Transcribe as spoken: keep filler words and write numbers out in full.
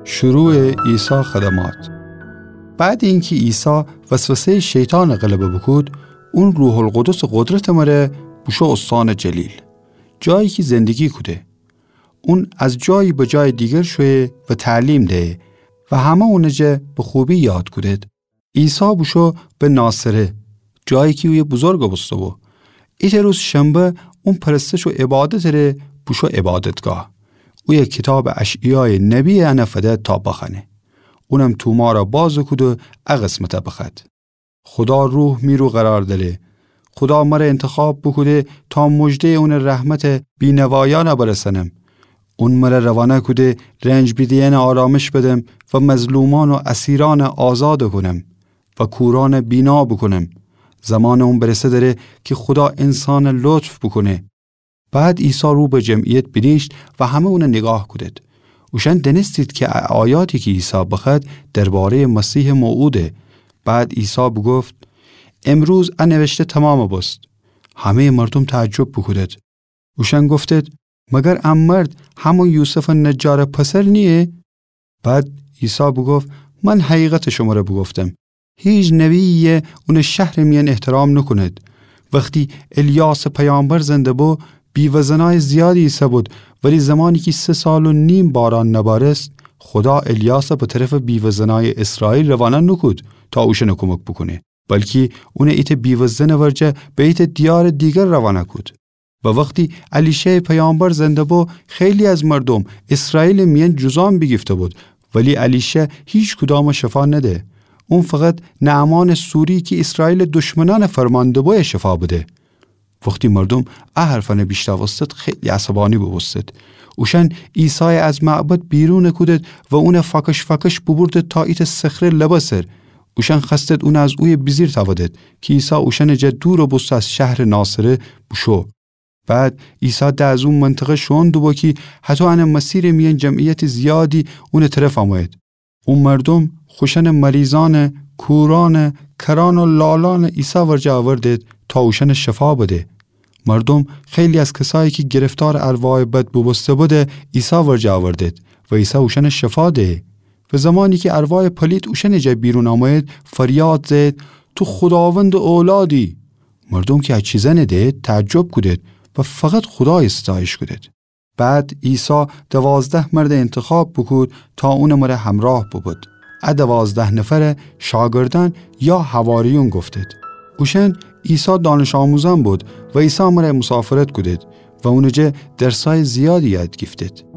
شروع عیسی خدمات. بعد اینکی عیسی وسوسهٔ شیطان غلبه بوکود، اون روح‌القدسٚ قدرتٚ مره بوشو استانٚ جلیل، جایی کی زندگی کوده. اون از جایی به جای دیگر شویه و تعلیم دهه و همه اونٚ جا به خوبی یاد کودد. عیسی بوشو به ناصره، جایی کی اویه بزرگ بوسته‌بو. ایتأ روز شنبه اون پرستش و عبادتٚ ره بوشو عبادتگاه. اویه کیتابٚ اشعیایٚ نبی انه فده تا بخوأنه. اونم تومارَ بازَ کود و ا قسمتَ بخوأد: خودا روح می رو قرار دأره. خودا مره انتخاب بوکوده تا مژدهٔ اونٚ رحمتَ بینوایأنَ برسأنم. اون مره روانه کوده رنج بیده‌یأنَ آرامش بدم و مظلومأن و اسیرأنَ آزادَ کونم و کورأنَ بینا بوکونم. زمانٚ اون برسه دره کی خودا انسانَ لطف بوکونه. بعد عیسی رو به جمعیت بینیشت و همه اونَ نیگاه کودید. اوشأن دأنستید کی ا آیاتی کی عیسی بخوأد دربارهٔ مسیحٚ موعوده. بعد عیسی بوگفت: امروز ا نوشته تومامَ بوست. همهٔ مردوم تعجب بوکودید. اوشأن گفتید: مگر ا مرد همون یوسفٚ نجارٚ پسر نییه؟ بعد عیسی بوگفت: من حقیقتَ شمره بوگفتم، هیچ نبی‌یی اونٚ شهرٚ میأن احترام نوکونید. وختی الیاسٚ پیامبر زنده بو، بیوه‌زنأیٚ زیادی ایسه‌بود، ولی زمانی کی سه سال و نیم باران نبارست، خودا الیاسَ به طرفٚ بیوه‌زنأیٚ اسرائیل روانه نوکود تا اوشأنَ کمک بوکونه، بلکی اونَ ایتأ بیوه‌زنٚ ورجه به ایتأ دیارٚ دیگر روانه کود. و وختی الیشه‌یٚ پیامبر زنده بو، خیلی از مردوم اسرائیلٚ میأن جذام بیگیفته‌بود، ولی الیشا هیچ کدامَ شفا نده. اون فقط نعمانٚ سوری کی اسرائیلٚ دشمنأنَ فرمان دبویَ شفا بده. وختی مردوم ا حرفأنَ بیشنوستید، خیلی عصبانی بوبوستید. اوشأن عیسایَ از معبد بیرونَ کودید و اونَ فأکش فأکش بوبوردید تا ایتأ صخره لبه سر. اوشأن خوأستید اونَ از اویه بیجیر تأودید کی عیسی اوشأنٚ جا دورَ بوسته از شهرٚ ناصره بوشو. بعد عیسی ده از او منطقه شوئون دوبو کی هطو انه مسیرٚ میأن جمعیتٚ زیادی اونٚ طرف آمویید. او مردوم خوشأنٚ مریضأنَ، کورأنَ، کرأن و لالأنَ عیسی ورجه آوردید تا اوشأنَ شفا بده. مردوم خیلی از کسایی کی گرفتارٚ ارواحٚ بد بوبوسته‌بودی عیسی ورجه آوردید و عیسی اوشأنَ شفا دهه. و زمانی کی ارواحٚ پلیت اوشأنٚ جا بیرون آمویید، فریاد زهید: تو خوداوندٚ اولادی. مردوم کی ا چیزأنَ دید، تعجب کودید و فقط خودایَ ستایش کودید. بعد عیسی دوازده مردَ انتخاب بوکود تا اونٚ مره همراه بوبود. ا دوازده نفرَ شاگردأن یا حواریون گفتید. اوشأن عیسی دانش‌آموزأن بود و عیسی مره مسافرت کودید و اونٚ جا درسأیٚ زیادی یاد گیفتید.